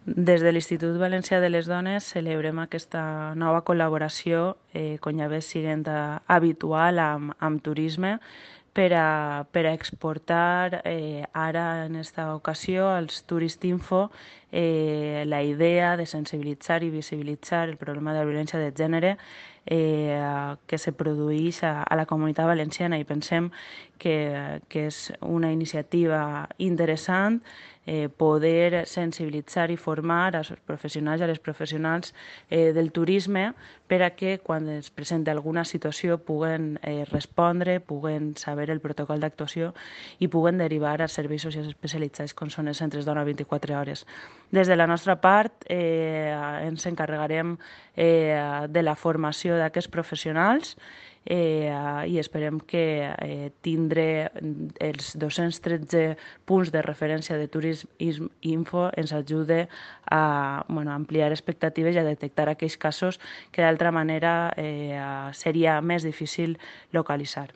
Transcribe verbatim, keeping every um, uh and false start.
Des de l'Institut Valencià de les Dones celebrem aquesta nova col·laboració, eh, com ja ve sent habitual amb, amb turisme, per a, per a exportar eh, ara en esta ocasió als Turistinfo eh, la idea de sensibilitzar i visibilitzar el problema de la violència de gènere eh, que se produeix a, a la comunitat valenciana, i pensem que, que és una iniciativa interessant eh, poder sensibilitzar i formar als professionals i a les professionals eh, del turisme per a que quan es presenta alguna situació puguen eh, respondre, puguen saber el protocol d'actuació i puguen derivar a serveis socials especialitzats com són els centres d'hora vint-i-quatre hores. Des de la nostra part eh, ens encarregarem eh, de la formació d'aquests professionals eh, i esperem que eh, tindre els dos-cents tretze punts de referència de Turisme Info ens ajude a bueno, ampliar expectatives i a detectar aquells casos que d'altra manera eh, seria més difícil localitzar.